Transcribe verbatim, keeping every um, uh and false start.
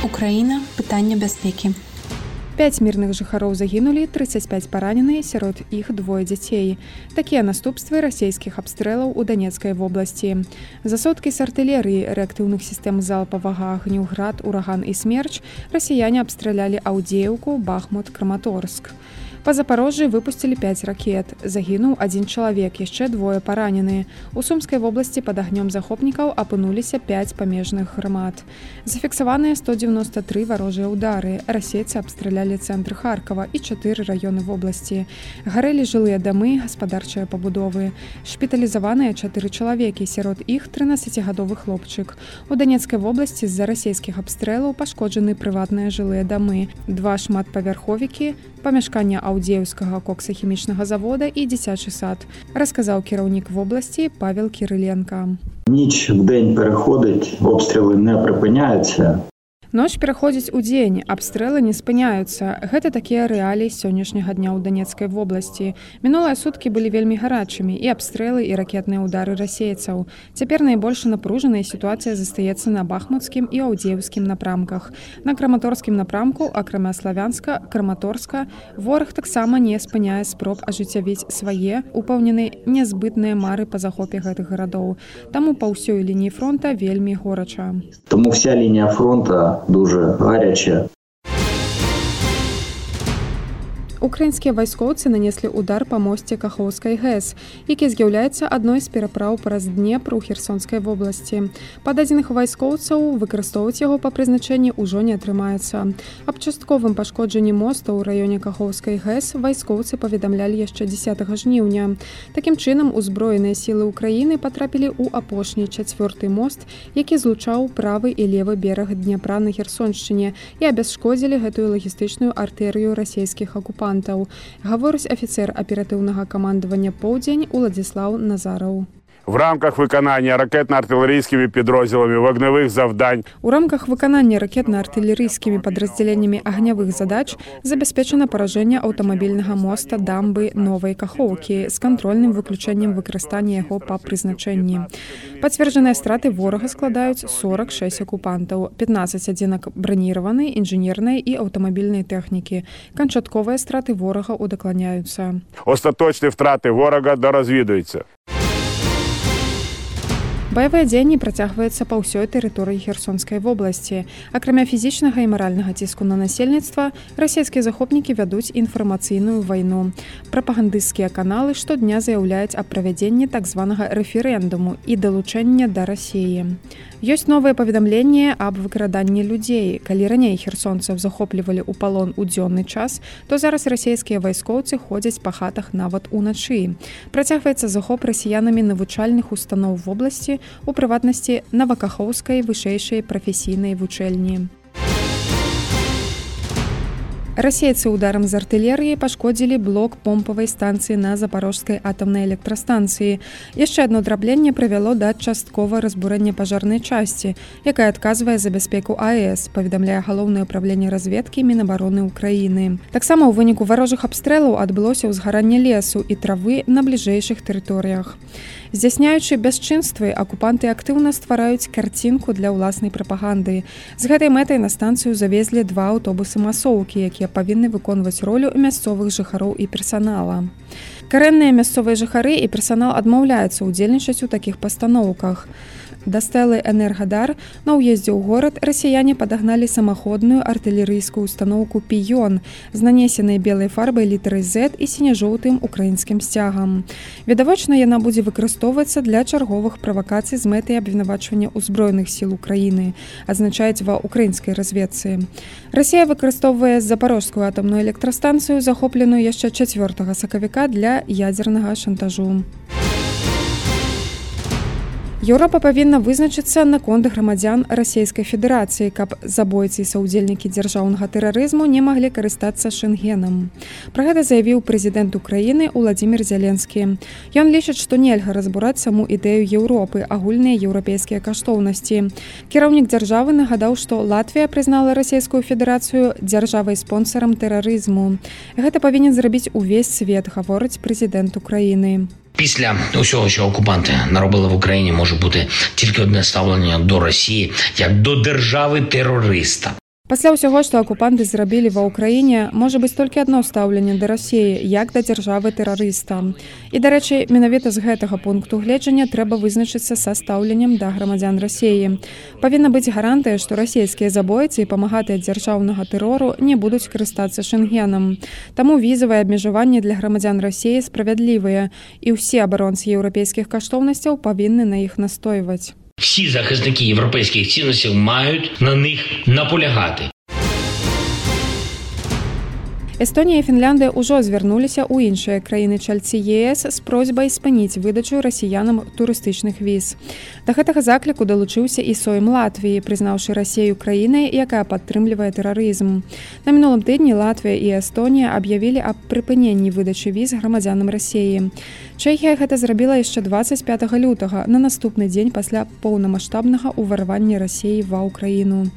Украіна. Пытанне бяспекі. Пяць мірных жыхароў загінулі, трыццаць пяць паранены, сярод іх двое дзяцей. Такія наступствы расійскіх абстрэлаў у Данецкай вобласці. За суткі з артылерыі, рэактыўных сістэм залпавага агню «Град», «Ураган» і «Смерч» расіяне абстралялі Аўдзеўку, Бахмут, Краматорск. Па Запарожжы выпусцілі пяць ракет. Загінуў адзін чалавек, яшчэ двое паранены. У Сумскай вобласці пад агнём захопнікаў апынуліся пяць памежных грамад. Зафіксаваныя сто дзевяноста тры варожыя ўдары. Расейцы абстралялі цэнтр Харкава і чатыры раёны вобласці. Гарэлі жылыя дамы, гаспадарчыя пабудовы. Шпіталізаваныя чатыры чалавекі, сярод іх трынаццацігадовы хлопчык. У Данецкай вобласці з-за расійскіх абстрэлаў пашкоджаны прыватныя жылыя дамы, два шматпавярховікі, памяшкання Аўдзеўскага коксахімічнага завода і дзіцячы сад, расказаў кіраўнік вобласці Павел Кириленко. Ніч в день переходить, обстріли не припиняються. Ноч пераходзіць у дзень, абстрэлы не спыняюцца. Гэта такія рэаліі сённяшняга дня ў Данецкай вобласці. Мінулыя суткі былі вельмі гарачымі, і абстрэлы, і ракетныя ўдары расейцаў. Цяпер найбольш напружаная сітуацыя застаецца на бахмуцкім і аўдзеўскім напрамках. На краматорскім напрамку, акрамя Славянска, Краматорска, вораг таксама не спыняе спроб ажыццявіць свае, упэўнены, нязбытныя мары па захопе гэтых гарадоў. Таму па ўсёй лініі фронта вельмі горача. Тому вся лінія фронта дуже гаряча. Украінскія вайскоўцы нанеслі удар па мосце Кахоўскай ГЭС, які з'яўляецца адной з перапраў праз Днепр у Херсонскай вобласці. Па дадзеных вайскоўцаў, выкарыстоўваць яго па прызначэнні ўжо не атрымаецца. Аб частковым пашкоджанні моста ў раёне Кахоўскай ГЭС вайскоўцы паведамлялі яшчэ дзесятага жніўня. Такім чынам, узброеныя сілы Украіны патрапілі ў апошні чацвёрты мост, які злучаў правы і левы бераг Дняпра на Херсоншчыне і абясшкодзілі гэтую лагістычную артэрыю расійскіх акупантаў. Гаворыць афіцэр аператыўнага камандавання «Поўдзень» Уладзіслаў Назараў. В рамках виконання ракетно-артилерійськими підрозділами вогневих завдань. У рамках виконання ракетно-артилерійськими підрозділеннями огневих задач забезпечено пораження автомобільного моста дамби Нової Каховки з контрольним виключенням використання його по призначенні. Підтверджені страти ворога складають сорок шесть окупантів, пятнадцать одинок бронірованої, інженерної і автомобільної техніки. Канчаткові страти ворога удокладняються. Остаточні втрати ворога дорозвідуються. Баявыя дзеянні працягваюцца па ўсёй тэрыторыі Херсонскай вобласці. Акрамя фізічнага і маральнага ціску на насельніцтва, расійскія захопнікі вядуць інфармацыйную вайну. Прапагандысцкія каналы штодня заяўляюць аб правядзенні так званага рэферэндуму і далучэння да Расіі. Ёсць новыя паведамленні аб выкраданні людзей. Калі раней херсонцаў захоплівалі ў палон у дзённы час, то зараз расійскія вайскоўцы ходзяць па хатах нават уначы. Працягваецца захоп расіянамі навучальных устаноў вобласці, у прыватнасці Новакахоўскай вышэйшай прафесійнай вучэльні. Расейцы ударам з артылерыі пашкодзілі блок помпавай станцыі на Запарожскай атамнай электрастанцыі. Яшчэ адно драбленне прывяло да часткова разбурэння пажарнай часці, якая адказвае за бяспеку АЭС, паведамляе галоўнае ўправленне разведкі Мінабароны Украіны. Таксама ў выніку варожых абстрэлаў адбылося ўзгаранне лесу і травы на бліжэйшых тэрыторыях. Здзяйсняючы бясчынствы, акупанты актыўна ствараюць карцінку для ўласнай прапаганды. З гэтай мэтай на станцыю завезлі два аўтобусы-масоўкі, якія павінны выконваць ролю мясцовых жыхароў і персанала. Карэнныя мясцовыя жыхары і персанал адмаўляюцца ўдзельнічаць у такіх пастаноўках. Да стэлы «Энергадар» на ўездзе ў горад расіяне падагналі самаходную артылерыйскую устаноўку «Піён» з нанесенай белай фарбай літарай «Z» і сіне-жоўтым украінскім сцягам. Відавочна, яна будзе выкарыстоўвацца для чарговых правакацый з мэтай абвінавачвання ўзброеных сіл Украіны, адзначаюць ва украінскай разведцы. Расія выкарыстоўвае запарожскую атамную электрастанцыю, захопленую яшчэ чацвёртага сакавіка для ядзернага шантажу. Еўропа павінна вызначыцца наконт грамадзян Расійскай Федэрацыі, каб забойцы і саўдзельнікі дзяржаўнага тэрарызму не маглі карыстацца Шэнгенам. Пра гэта заявіў прэзідэнт Украіны Уладзімір Зялensкі. Ён лічыць, што нельга разбураць саму ідэю Еўропы, агульныя еўрапейскія каштоўнасці. Кіраўнік дзяржавы нагадаў, што Латвія прызнала Расійскую Федэрацыю дзяржавай-спонсарам тэрарызму. Гэта павінен зрабіць увесь свет, гаворыць прэзідэнт Украіны. Після усього, що окупанти наробили в Україні, може бути тільки одне ставлення до Росії як до держави-терориста. Пасля ўсяго, што акупанты зрабілі ва ўкраіне, можа быць толькі адно стаўленне да Расіі, як да дзяржавы-тэрарыста. І, дарэчы, менавіта з гэтага пункту гледжання трэба вызначыцца са стаўленнем да грамадзян Расіі. Павінна быць гарантыя, што расійскія забойцы і памагатыя дзяржаўнага тэрору не будуць карыстацца шэнгенам. Таму візавыя абмежаванні для грамадзян Расіі справядлівыя, і ўсе абаронцы еўрапейскіх каштоўнасцяў павінны на іх настойваць. Всі захисники європейських цінностей мають на них наполягати. Эстонія і Фінляндыя ўжо звярнуліся ў іншыя краіны-чальцы ЕС з просьбай спыніць выдачу расіянам турыстычных віз. Да гэтага закліку далучыўся і Сойм Латвіі, прызнаўшы Расію краінай, якая падтрымлівае тэрарызм. На мінулым тыдні Латвія і Эстонія аб'явілі аб прыпыненні выдачы віз грамадзянам Расіі. Чэхія гэта зрабіла яшчэ дваццаць пятага лютага, на наступны дзень пасля поўнамаштабнага ўварвання Расіі ва ўкраіну.